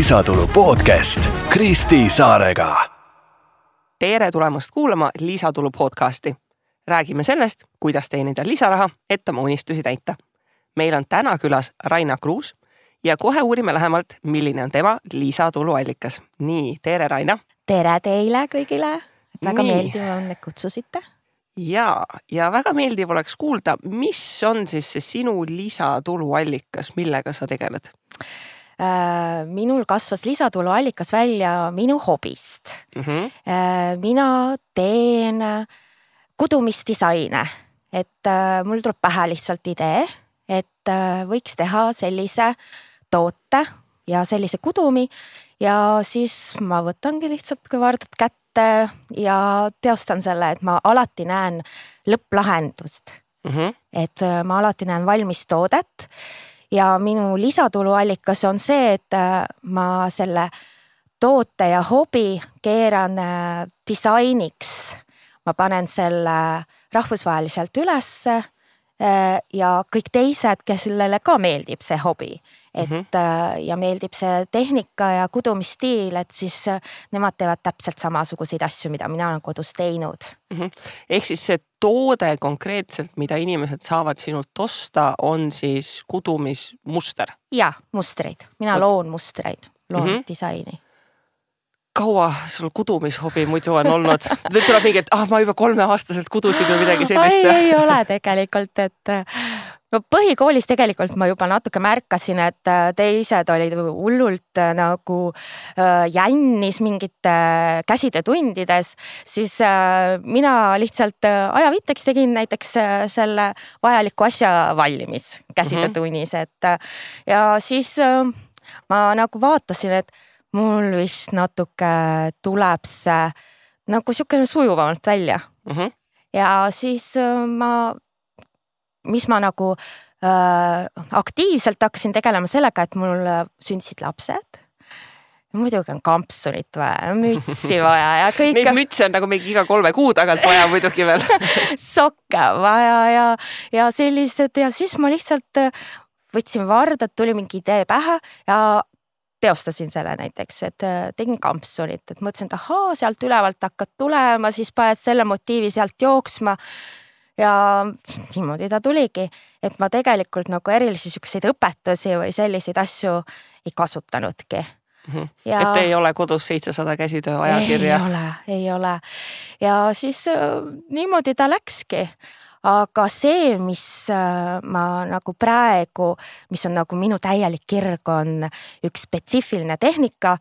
Lisatulu podcast Kristi Saarega. Tere tulemast kuulama Lisatulu podcasti. Räägime sellest, kuidas teenida lisaraha, et oma unistusi täita. Meil on täna külas Raina Kruus ja kohe uurime lähemalt, milline on tema lisatuluallikas. Nii, tere Raina. Tere teile kõigile. Väga meeldiv on, et kutsusite. Ja väga meeldiv oleks kuulda, mis on siis see sinu lisatuluallikas, millega sa tegeled? Minul kasvas lisatuluallikas välja minu hobist. Mina teen kudumisdisaine, et mul tuleb pähe lihtsalt idee, et võiks teha sellise toote ja sellise kudumi ja siis ma võtangi lihtsalt kõvardad kätte ja teostan selle, et ma alati näen lõpplahendust. Et ma alati näen valmis toodet ja minu lisatuluallikas on see, et ma selle toote ja hobi keeran disainiks. Ma panen selle rahvusvaheliselt ülesse ja kõik teised, kes sellele ka meeldib see hobi. Ja meeldib see tehnika ja kudumisstiil, et siis nemad teevad täpselt samasuguseid asju, mida mina olen kodus teinud. Ehk siis see toode konkreetselt, mida inimesed saavad sinult osta, on siis kudumismuster? Ja, mustreid. Mina loon mustreid, loon disaini. Kaua sul kudumishobi muidu on olnud? Nüüd tuleb mingi, et ma juba 3-aastaselt kudusin või midagi sellist. Ei ole tegelikult, et põhikoolis tegelikult ma juba natuke märkasin, et teised olid hullult nagu jännis mingite käsitöötundides, siis mina lihtsalt ajavitteks tegin näiteks selle vajaliku asja valmis käsitöötunnis, et ja siis ma nagu vaatasin, et mul vist natuke tuleb see nagu siukene sujuvamalt välja. Ja siis mis ma nagu aktiivselt hakkasin tegelema sellega, et mul sündisid lapsed. Muidugi on kampsunit vaja, mütsi vaja ja kõik. Neid mütsi on nagu mingi iga 3 kuu tagant vaja muidugi veel. Sokke vaja ja sellised ja siis ma lihtsalt võtsin vardad, tuli mingi idee pähe ja teostasin selle näiteks, et tegin kampsunit, et mõtlesin, et sealt ülevalt hakkad tulema, siis paned selle motiivi sealt jooksma ja niimoodi ta tuligi, et ma tegelikult nagu erilisi selliseid õpetusi või selliseid asju ei kasutanudki. Ja et ei ole kodus 700 käsitöö ajakirja? Ei ole. Ja siis niimoodi ta läkski. Aga see, mis ma nagu praegu, mis on nagu minu täielik kirg, on üks spetsiifiline tehnika,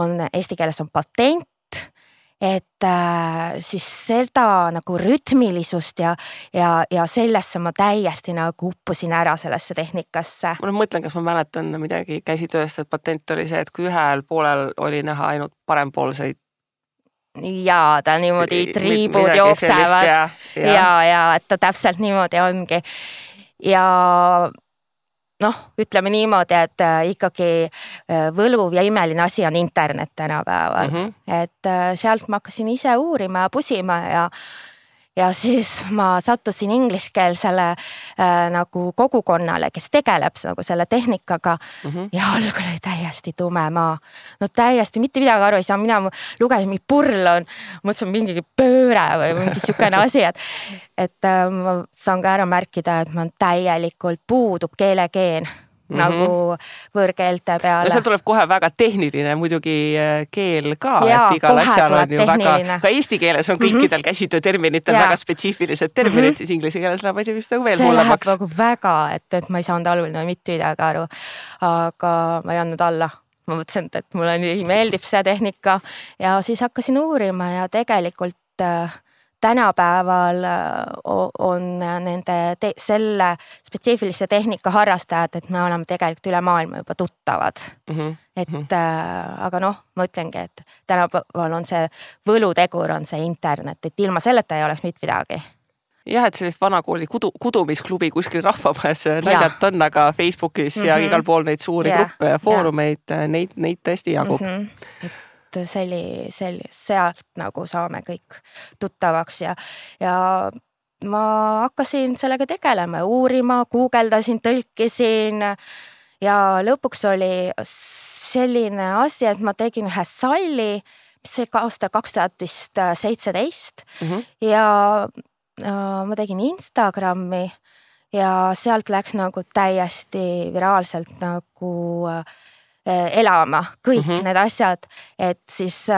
on eesti keeles on patent, et siis seda nagu rütmilisust ja sellesse ma täiesti nagu uppusin ära sellesse tehnikasse. Ma mõtlen, kas ma mäletan midagi käsitööst, et patent oli see, et kui ühel poolel oli näha ainult parempoolseid ja ta niimoodi triibud jooksevad ja et ta täpselt niimoodi ongi ja ütleme niimoodi, et ikkagi võluv ja imeline asi on internet tänapäeval, et sealt ma hakkasin ise uurima ja pusima ja siis ma sattusin ingliskeelsele nagu kogukonnale, kes tegeleb nagu selle tehnikaga ja algul oli täiesti tume maa. No täiesti mitte midagi aru ei saa, mina lugesin mingi purlon, mõtlesin mingi pööre või mingi siukene asi, et ma saan ka ära märkida, et ma täielikult puudub keelegeen nagu võõrkeelte peale. No seal tuleb kohe väga tehniline muidugi keel ka, et igal asjal on ju väga, ka eesti keeles on kõikidel käsitöö terminitel väga spetsiifilised terminid, siis inglise keeles läheb asi vist nagu veel hullemaks. See läheb nagu väga, et ma ei saanud algul mitte midagi aru, aga ma ei andnud alla. Ma mõtlesin, et mulle nii meeldib see tehnika ja siis hakkasin uurima ja tegelikult tänapäeval on nende selle spetsiifilise tehnika harrastajad, et me oleme tegelikult üle maailma juba tuttavad. Aga ma ütlengi, et tänapäeval on see võlutegur, on see internet, et ilma selleta ei oleks mitte midagi. Jah, et sellist vanakooli kudumisklubi kuskil rahvamajas näidalt on, aga Facebookis ja igal pool neid suuri gruppe ja foorumeid, neid tõesti jagub. Sealt nagu saame kõik tuttavaks ja ma hakkasin sellega tegelema, uurima, guugeldasin, tõlkisin ja lõpuks oli selline asi, et ma tegin ühe salli, mis oli aastal 2017 ja ma tegin Instagrami ja sealt läks nagu täiesti viraalselt nagu elama kõik need asjad, et siis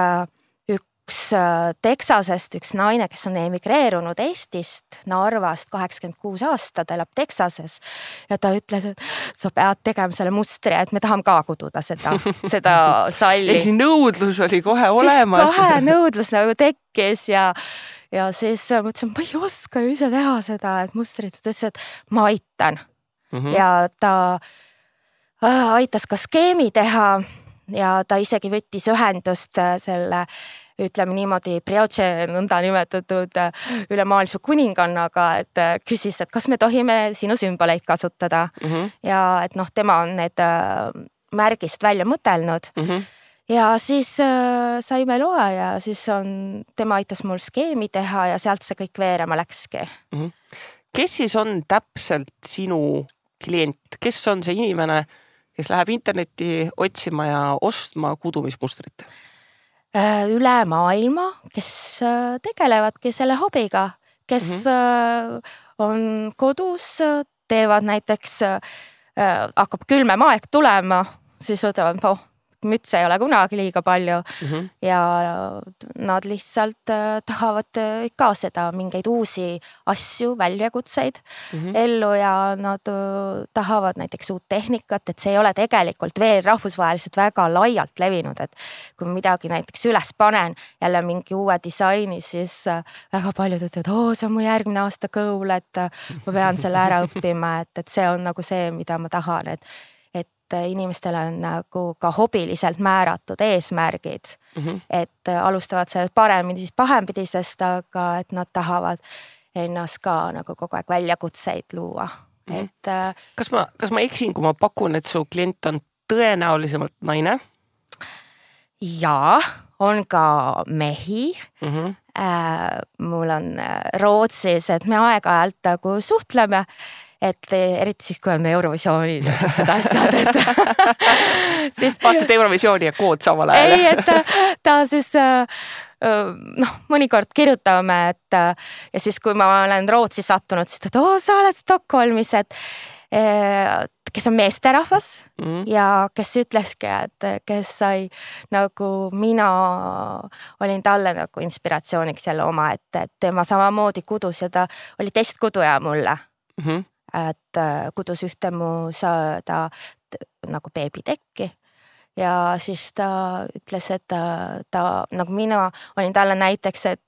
üks Texasest, üks naine, kes on emigreerunud Eestist, Narvast, 86 aastat, elab Texases ja ta ütles, et sa pead tegema selle mustri, et me tahame ka kududa seda salli. Ehk nõudlus oli kohe olemas. Kohe nõudlus nagu tekkis ja siis mõtlesin, ma ei oska ju ise teha seda, et mustrit, ta ütles, et ma aitan. Ja ta aitas ka skeemi teha ja ta isegi võttis ühendust selle, ütleme niimoodi, Brioche nõnda nimetatud ülemaailmse kuningannaga, et küsis, et kas me tohime sinu sümboleid kasutada. Ja et tema on need märgist välja mõtelnud. Ja siis saime loa ja siis tema aitas mul skeemi teha ja sealt see kõik veerema läkski. Kes siis on täpselt sinu klient? Kes on see inimene, kes läheb internetti otsima ja ostma kudumismustrit? Üle maailma, kes tegelevadki selle hobiga, kes on kodus, teevad näiteks, hakkab külmem aeg tulema, siis võtavad, müts ei ole kunagi liiga palju ja nad lihtsalt tahavad ka seda mingeid uusi asju, väljakutseid ellu ja nad tahavad näiteks uut tehnikat, et see ei ole tegelikult veel rahvusvaheliselt väga laialt levinud, et kui midagi näiteks üles panen jälle mingi uue disaini, siis väga paljud ütlevad, see on mu järgmine aasta goal, et ma pean selle ära õppima, et see on nagu see, mida ma tahan, et inimestel on nagu ka hobiliselt määratud eesmärgid, et alustavad sellest paremini pahempidisest, aga et nad tahavad ennast ka nagu kogu aeg väljakutseid luua. Et, kas ma eksin, kui ma pakun, et su klient on tõenäolisemalt naine? Jaa, on ka mehi. Mul on Rootsis, et me aeg-ajalt nagu suhtleme, et eriti siis, kui on Eurovisioonid ja seda asjad, et siis vaatad Eurovisiooni ja kood samal ajal. Ei, et ta siis mõnikord kirjutame, et ja siis, kui ma olen Rootsi sattunud, siis ta, sa oled Stockholmis, et kes on meesterahvas ja kes ütleski, et kes sai nagu mina olin talle nagu inspiratsiooniks jälle oma, et tema samamoodi kudus ja ta oli testkuduja mulle. Et kudus ühte mu saada nagu beebitekki ja siis ta ütles, et ta nagu mina olin talle näiteks, et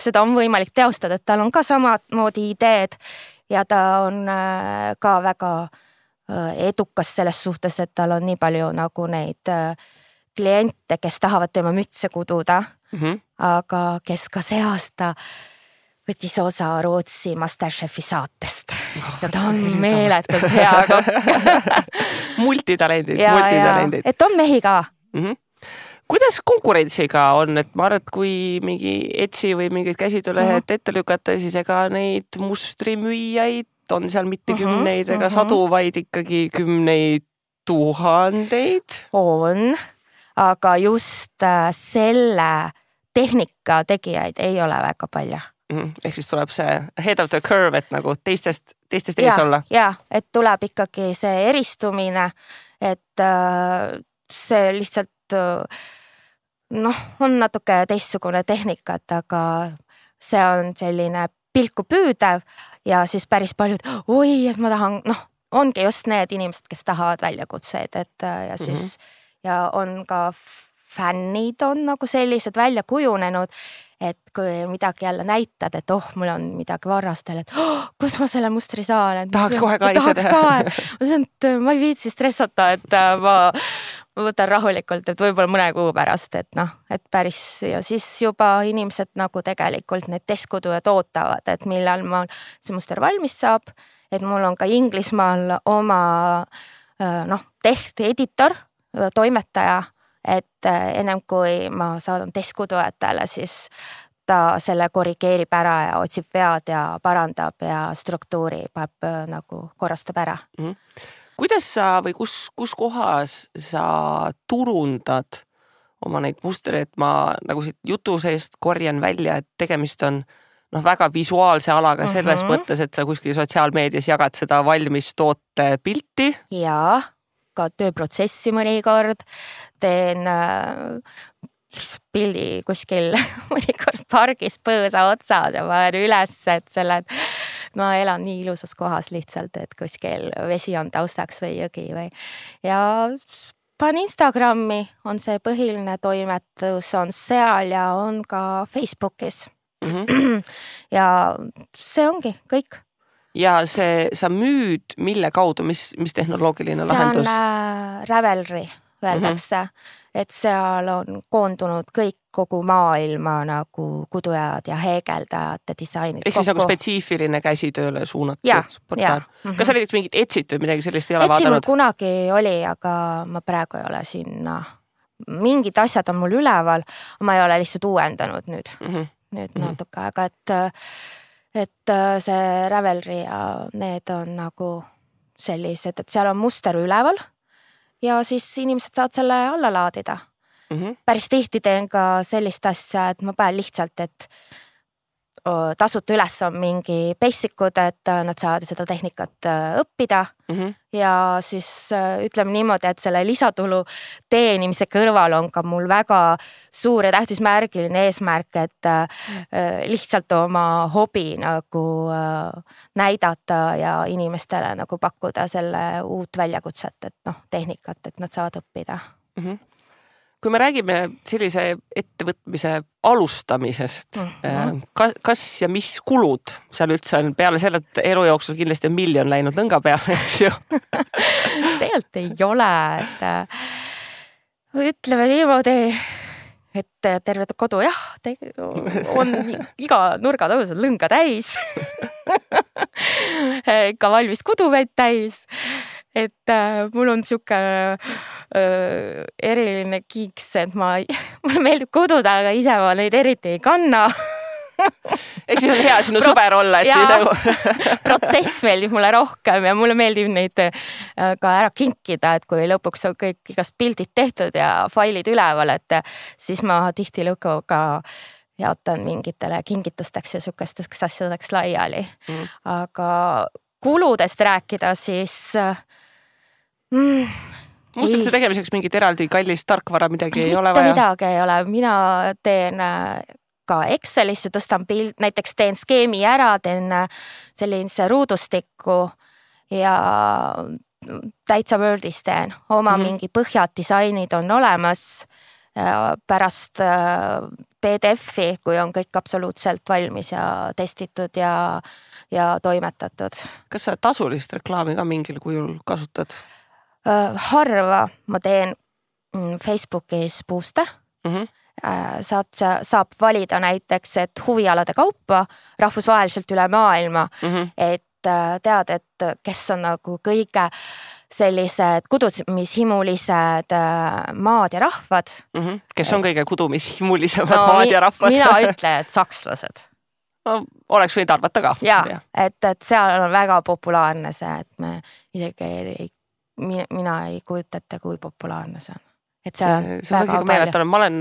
seda on võimalik teostada, et tal on ka samamoodi ideed ja ta on ka väga edukas selles suhtes, et tal on nii palju nagu neid kliente, kes tahavad tema mütse kududa, aga kes ka see aasta võttis osa Rootsi Masterchefi saatest ja ta on meeletult hea multitalendid. Et on mehi ka. Kuidas konkurentsiga on, et ma arvan, et kui mingi Etsy või mingid käsitöölehed ette lükata, siis ega neid mustrimüüjaid on seal mitte kümneid ega sadu, vaid ikkagi kümneid tuhandeid? On, aga just selle tehnika tegijaid ei ole väga palju. Ehk siis tuleb see head of the curve, et nagu teistest ees olla. Ja, et tuleb ikkagi see eristumine, et see lihtsalt on natuke teistsugune tehnikat, aga see on selline pilku püüdev ja siis päris paljud, et ma tahan, ongi just need inimesed, kes tahavad väljakutseid, et ja siis ja on ka fännid on nagu sellised välja kujunenud, et kui midagi jälle näitad, et mul on midagi varrastel, et kus ma selle mustri saan, tahaks kohe ka ise teha. Ma ütlen, et ma ei viitsi stressata, et ma võtan rahulikult, et võib-olla mõne kuu pärast, et päris ja siis juba inimesed nagu tegelikult need testkudujad ootavad, et millal ma see muster valmis saab, et mul on ka Inglismaal oma editor, toimetaja, et ennem kui ma saadan testkudujatele, siis ta selle korrigeerib ära ja otsib vead ja parandab ja struktuuri nagu korrastab ära. kuidas sa või kus kohas sa turundad oma neid mustreid, et ma nagu siit jutu seest korjan välja, et tegemist on väga visuaalse alaga selles mõttes, et sa kuskil sotsiaalmeedias jagad seda valmis toote pilti. Jaa, ka tööprotsessi mõnikord teen pildi kuskil mõnikord pargis põõsa otsas ja panen üles, et ma elan nii ilusas kohas lihtsalt, et kuskil vesi on taustaks või jõgi või ja panen Instagrami, on see põhiline toimetus, on seal ja on ka Facebookis. Ja see ongi kõik. Ja sa müüd mille kaudu, mis tehnoloogiline lahendus? See on Ravelry, öeldakse, et seal on koondunud kõik kogu maailma nagu kudujad ja heegeldajate disainid. Ehk siis nagu spetsiifiline käsitööle suunatud portaal. Kas sa näiteks mingit Etsit või midagi sellist ei ole vaadanud? Etsi mul kunagi oli, aga ma praegu ei ole sinna. Mingid asjad on mul üleval, ma ei ole lihtsalt uuendanud nüüd natuke aega, et see Ravelry ja need on nagu sellised, et seal on muster üleval ja siis inimesed saavad selle alla laadida. Päris tihti teen ka sellist asja, et ma panen lihtsalt, et tasuta üles on mingi basicud, et nad saavad seda tehnikat õppida ja siis ütleme niimoodi, et selle lisatulu teenimise kõrval on ka mul väga suur ja tähtis märgiline eesmärk, et lihtsalt oma hobi nagu näidata ja inimestele nagu pakkuda selle uut väljakutset, et tehnikat, et nad saavad õppida. Kui me räägime sellise ettevõtmise alustamisest, kas ja mis kulud seal üldse on peale selle, et elu jooksul kindlasti on 1 miljon läinud lõnga peale, eks ju? Tegelikult ei ole, et ütleme niimoodi, et terve kodu on iga nurga tõus on lõnga täis, ka valmis kuduveid täis. Et mul on siuke eriline kiiks, et mulle meeldib kududa, aga ise ma neid eriti ei kanna. Eks siis on hea sinu sõber olla, et siis protsess meeldib mulle rohkem ja mulle meeldib neid ka ära kinkida, et kui lõpuks on kõik igast pildid tehtud ja failid üleval, et siis ma tihti lõpuga jaotan mingitele kingitusteks ja sukesteks asjadeks laiali. Aga kuludest rääkida, siis mustrituse tegemiseks mingit eraldi kallist tarkvara midagi ei ole vaja? Midagi ei ole. Mina teen ka Excelisse, tõstan pild, näiteks teen skeemi ära, teen sellise ruudustikku ja täitsa Wordis teen. Oma mingi põhjad disainid on olemas pärast PDF-i, kui on kõik absoluutselt valmis ja testitud ja toimetatud. Kas sa tasulist reklaami ka mingil kujul kasutad? Harva ma teen Facebookis puuste. Saab valida näiteks, et huvialade kaupa rahvusvaheliselt üle maailma, et tead, et kes on nagu kõige sellised kudumishimulised maad ja rahvad. Kes on kõige kudumishimulisemad maad ja rahvad? Mina ütlen, et sakslased. No, oleks võid arvata ka. Jaa, et seal on väga populaarne see, et me isegi mina ei kujutata, kui populaarne see on. Et see on väga palju. Ma olen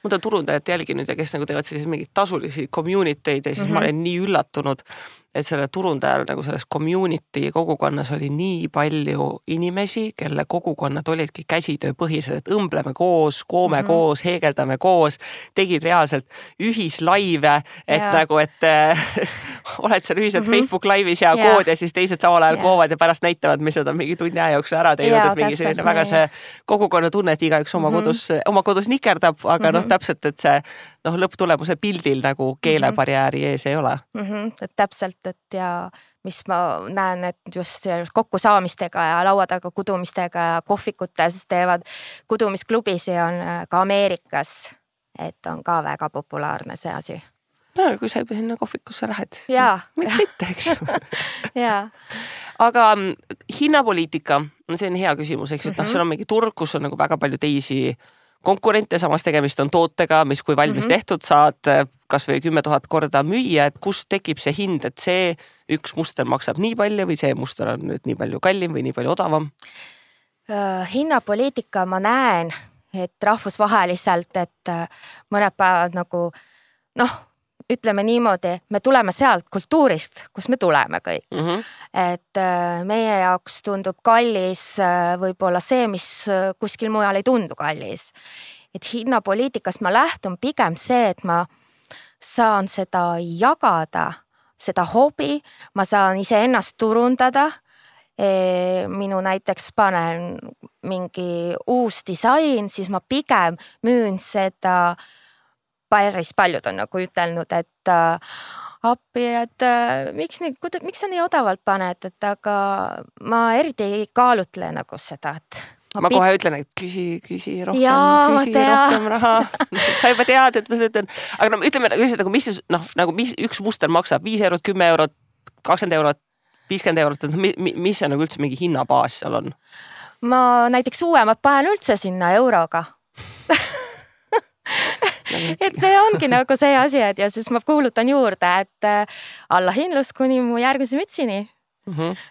mõnda turundajat jälginud ja kes nagu teevad sellised mingid tasulisi community'd ja siis ma olen nii üllatunud, et selle turundajal nagu selles community kogukonnas oli nii palju inimesi, kelle kogukonnad olidki käsitööpõhised, et õmbleme koos, koome koos, heegeldame koos, tegid reaalselt ühislaive, et nagu, et oled seal ühiselt Facebook laivis ja kood ja siis teised samal ajal koovad ja pärast näitavad, mis nad on mingi tunni aja jooksul ära teinud, et mingi selline väga see kogukonna tunne, et igaüks oma kodus nikerdab, aga täpselt, et see lõpptulemuse pildil nagu keelebarjääri ees ei ole. Et täpselt, et ja mis ma näen, et just kokkusaamistega ja laua taga kudumistega ja kohvikutes teevad kudumisklubis ja on ka Ameerikas, et on ka väga populaarne see asi. No, kui sa juba sinna kohvikusse lähed. Mitte, eks ju. Aga hinnapoliitika, see on hea küsimus, eks, et seal on mingi turg, kus on nagu väga palju teisi konkurente, samas tegemist on tootega, mis kui valmis tehtud, saad kas või 10 000 korda müüa, et kust tekib see hind, et see üks muster maksab nii palju või see muster on nüüd nii palju kallim või nii palju odavam? Hinnapoliitika ma näen, et rahvusvaheliselt, et mõned päevad nagu ütleme niimoodi, me tuleme sealt kultuurist, kus me tuleme kõik. Et meie jaoks tundub kallis võib-olla see, mis kuskil mujal ei tundu kallis. Et hinnapoliitikast ma lähtun pigem see, et ma saan seda jagada, seda hobi, ma saan iseennast turundada. Minu näiteks panen mingi uus disain, siis ma pigem müün seda. Päris paljud on nagu ütelnud, et appi, et miks sa nii odavalt paned, et aga ma eriti ei kaalutle nagu seda, et ma kohe ütlen, et küsi rohkem raha. Sa juba tead, et ma seda ütlen. Aga ütleme, mis üks muster maksab 5 eurot, 10 eurot, 20 eurot, 50 eurot, mis see nagu üldse mingi hinnabaas seal on? Ma näiteks uuemad panen üldse sinna euroga. Et see ongi nagu see asi, et ja siis ma kuulutan juurde, et allahindlus kuni mu järgmise mütsini.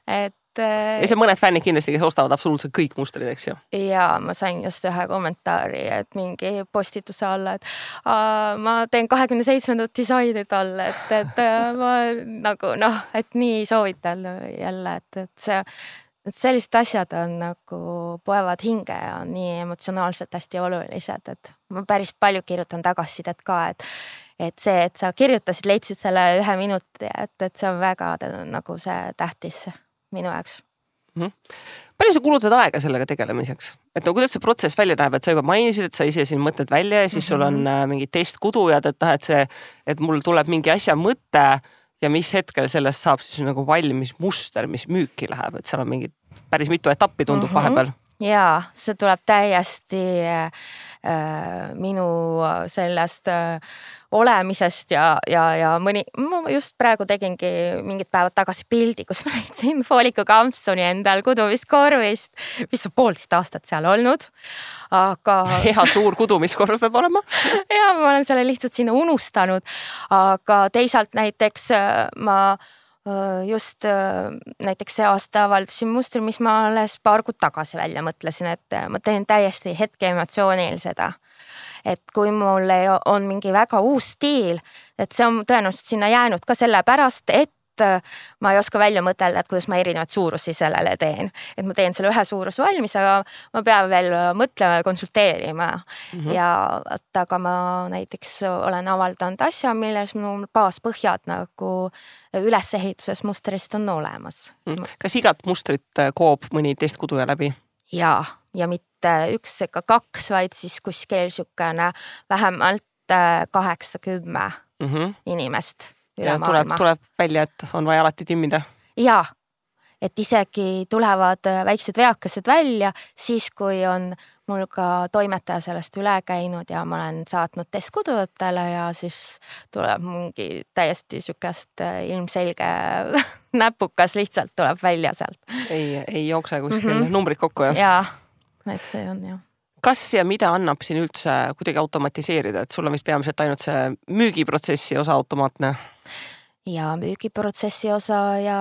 Et ja see mõned fännid kindlasti, kes ostavad absoluutselt kõik mustrid, eks ju? Ja ma sain just ühe kommentaari, et mingi postituse alla, et ma teen 27. disainid alla, et ma nagu et nii soovitan jälle, et sellised asjad on nagu poevad hinge ja nii emotsionaalselt hästi olulised, et ma päris palju kirjutan tagasisidet ka, et see, et sa kirjutasid, leidsid selle 1 minuti, et see on väga nagu see tähtis minu jaoks. Palju sa kulutad aega sellega tegelemiseks? Et kuidas see protsess välja näeb, et sa juba mainisid, et sa ise siin mõtled välja ja siis sul on mingid testkudujad, et mul tuleb mingi asja mõte ja mis hetkel sellest saab siis nagu valmis muster, mis müüki läheb, et seal on mingid päris mitu etappi tundub vahepeal. Jaa, see tuleb täiesti minu sellest olemisest ja mõni, ma just praegu tegingi mingid päevad tagasi pildi, kus ma leidsin fooliku kampsuni endal kudumiskorvist, mis on 1,5 aastat seal olnud, aga hea suur kudumiskorv peab olema. Ja ma olen selle lihtsalt sinna unustanud, aga teisalt näiteks ma just näiteks see aasta avaldasin mustri, mis ma alles paar kuud tagasi välja mõtlesin, et ma teen täiesti hetke emotsioonil seda. Et kui mul on mingi väga uus stiil, et see on tõenäoliselt sinna jäänud ka selle pärast, et ma ei oska välja mõtelda, et kuidas ma erinevad suurusi sellele teen. Et ma teen selle ühe suurus valmis, aga ma pean veel mõtlema ja konsulteerima. Ja aga ma näiteks olen avaldanud asja, milles minu baaspõhjad nagu ülesehituses mustrist on olemas. Kas igat mustrit koob mõni testkuduja läbi? Ja mitte 1 ega 2, vaid siis kuskil sükene vähemalt 8-10 inimest. Ja tuleb välja, et on vaja alati timmida? Jaa, et isegi tulevad väiksed veakesed välja, siis kui on mul ka toimetaja sellest üle käinud ja ma olen saatnud testkudujatele ja siis tuleb mingi täiesti sükest ilmselge näpukas lihtsalt tuleb välja sealt. Ei jookse kuskil numbrid kokku, jah? Jaa, et see on jah. Kas ja mida annab siin üldse kuidagi automatiseerida, et sul on vist peamiselt ainult see müügiprotsessi osa automaatne? Ja müügiprotsessi osa ja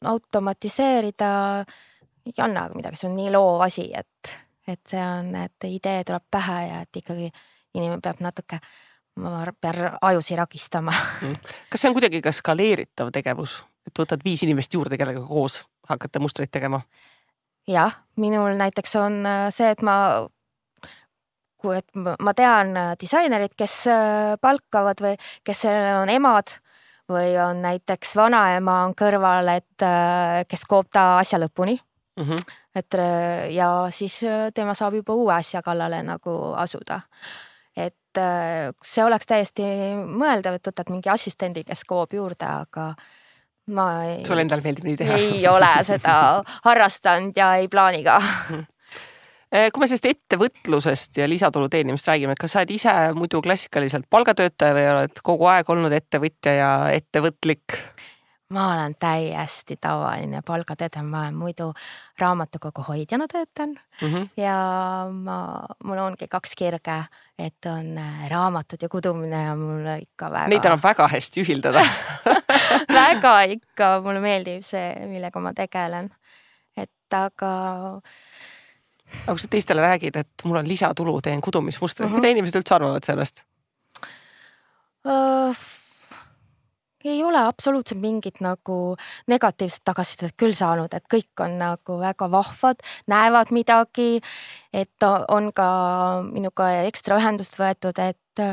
automatiseerida ei anna midagi, see on nii loov asi, et see on, et idee tuleb pähe ja et ikkagi inimene peab natuke ajusi rakistama. Kas see on kuidagi ka skaleeritav tegevus, et võtad 5 inimest juurde, kellega koos hakata mustreid tegema? Jah, minul näiteks on see, et ma tean disainerid, kes palkavad või kes on emad või on näiteks vanaema on kõrval, et kes koob ta asja lõpuni. Et ja siis tema saab juba uue asja kallale nagu asuda. Et see oleks täiesti mõeldav, et võtad mingi assistendi, kes koob juurde, aga sul endal meeldib nii teha? Ei ole seda harrastanud ja ei plaani ka. Kui me sellest ettevõtlusest ja lisatulu teenimist räägime, et kas sa oled ise muidu klassikaliselt palgatöötaja või oled kogu aeg olnud ettevõtja ja ettevõtlik? ma olen täiesti tavaline palgatöötaja, ma muidu raamatukogu hoidjana töötan ja mul ongi 2 kirge, et on raamatud ja kudumine ja mulle ikka väga... Neid annab väga hästi ühildada. Väga ikka, mulle meeldib see, millega ma tegelen. Et aga kui sa teistele räägid, et mul on lisatulu, teen kudumismustri, mida inimesed üldse arvavad sellest? Ei ole absoluutselt mingit nagu negatiivset tagasisidet küll saanud, et kõik on nagu väga vahvad, näevad midagi, et on ka minuga ekstra ühendust võetud, et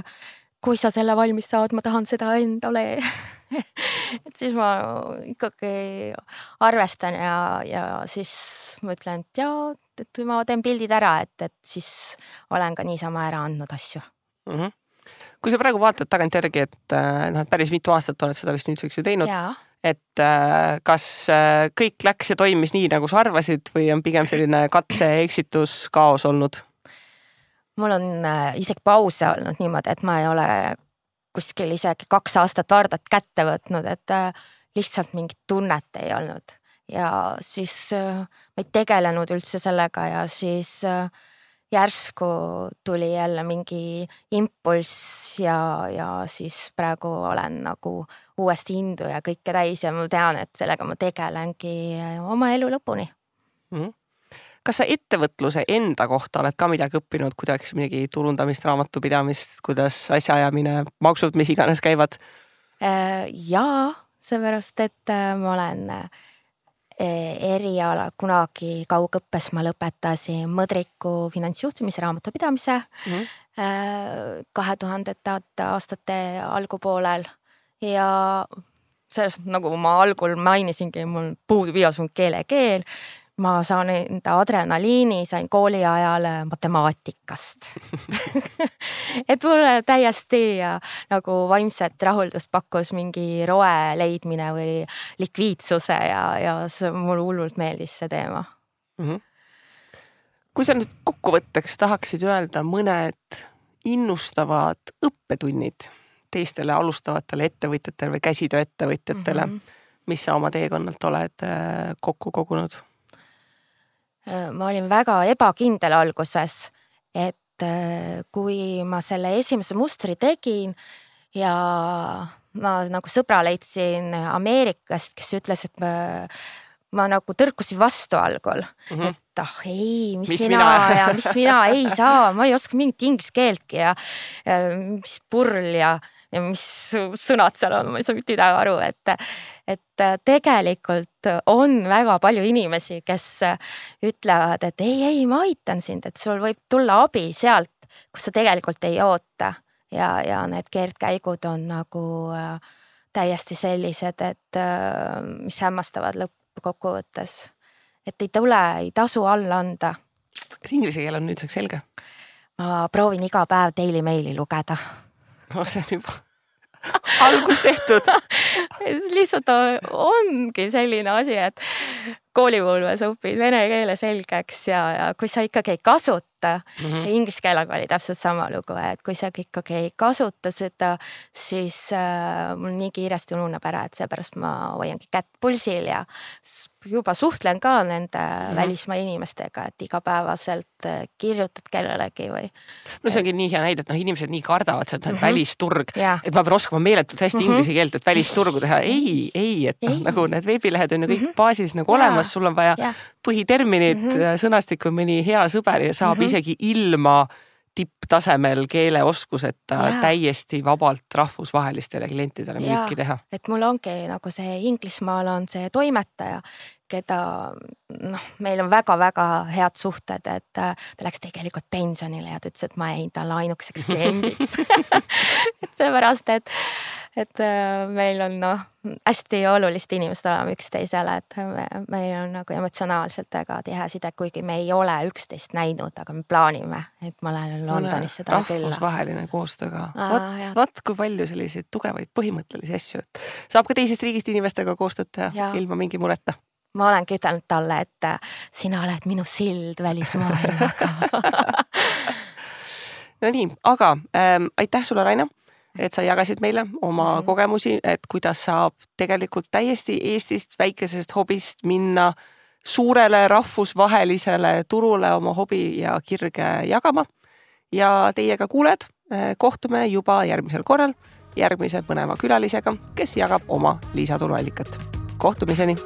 kui sa selle valmis saad, ma tahan seda endale. Et siis ma ikkagi arvestan ja siis ma ütlen, et jaa, et ma teen pildid ära, et siis olen ka niisama ära andnud asju. Kui sa praegu vaatad tagantjärgi, et päris mitu aastat oled seda vist nüüdseks ju teinud, et kas kõik läks ja toimis nii, nagu sa arvasid või on pigem selline katse eksitus kaos olnud? Mul on isegi pause olnud niimoodi, et ma ei ole kuskil isegi 2 aastat Vardat kätte võtnud, et lihtsalt mingit tunnet ei olnud. Ja siis ma ei tegelenud üldse sellega ja siis järsku tuli jälle mingi impulss ja siis praegu olen nagu uuesti indu ja kõike täis ja ma tean, et sellega ma tegelengi oma elu lõpuni. Kas sa ettevõtluse enda kohta oled ka midagi õppinud, kuidas midagi turundamist, raamatupidamist, kuidas asjaajamine, maksud, mis iganes käivad? Jaa, seepärast, et ma olen eriala kunagi kaugõppes ma lõpetasin Mõdriku finantsjuhtimise raamatupidamise 2000. aastate algupoolel ja selles, nagu ma algul mainisingi, mul puudub igasugune keelekeel. Ma saan enda adrenaliini, sain kooli ajal matemaatikast. Et mulle täiesti nagu vaimset rahuldust pakkus mingi roe leidmine või likviidsuse ja mulle hullult meeldis see teema. Kui sa nüüd kokkuvõtteks tahaksid öelda mõned innustavad õppetunnid teistele alustavatele ettevõtjatele või käsitööettevõtjatele, mis sa oma teekonnalt oled kokku kogunud? Ma olin väga ebakindel alguses, et kui ma selle esimese mustri tegin ja ma nagu sõbra leidsin Ameerikast, kes ütles, et ma nagu tõrkusin vastu algul, et ei, mis mina ei saa, ma ei oska mingit inglise keeltki ja mis purl ja mis sõnad seal on, ma ei saa mitte midagi aru, et tegelikult on väga palju inimesi, kes ütlevad, et ei, ma aitan sind, et sul võib tulla abi sealt, kus sa tegelikult ei oota ja need keerdkäigud on nagu täiesti sellised, et mis hämmastavad lõppkokkuvõttes, et ei tasu alla anda. Kas inglise keel on nüüdseks selge? Ma proovin iga päev Daily Maili lugeda. No see on juba algus tehtud. Lihtsalt ongi selline asi, et koolipõlves õpid vene keele selgeks ja kui sa ikkagi ei kasuta, inglise keelega oli täpselt sama lugu, et kui sa ikkagi ei kasuta seda, siis mul nii kiiresti ununeb ära, et seepärast ma hoiangi kätt pulsil ja juba suhtlen ka nende välismaa inimestega, et igapäevaselt kirjutad kellelegi või. No see ongi nii hea näide, et inimesed nii kardavad seda välisturg, et ma pean oskama meeletult hästi inglise keelt, et välisturgu teha. Ei, et nagu need veebilehed on ju kõik baasis nagu olemas, sul on vaja põhiterminid, sõnastik on mõni hea sõber ja saab isegi ilma tipptasemel keeleoskuseta täiesti vabalt rahvusvahelistele klientidele müüki teha. Et mul ongi nagu see Inglismaal on see toimetaja, keda meil on väga-väga head suhted, et ta läks tegelikult pensionile ja ta ütles, et ma jäin talle ainukeseks kliendiks. Et seepärast, et meil on hästi olulist inimest olema üksteisele, et meil on nagu emotsionaalselt väga tihe side, kuigi me ei ole üksteist näinud, aga me plaanime, et ma lähen Londonisse taha külla. Rahvusvaheline koostööga. Vaat kui palju selliseid tugevaid põhimõttelisi asju. Saab ka teisest riigist inimestega koostööd teha ilma mingi mureta. Ma olengi ütelnud talle, et sina oled minu sild välismaailmaga. No nii, aga aitäh sulle, Raina. et sa jagasid meile oma kogemusi, et kuidas saab tegelikult täiesti Eestist väikesest hobist minna suurele rahvusvahelisele turule oma hobi ja kirge jagama. Ja teiega kuuled, kohtume juba järgmisel korral järgmise põneva külalisega, kes jagab oma lisatuluallikat. Kohtumiseni!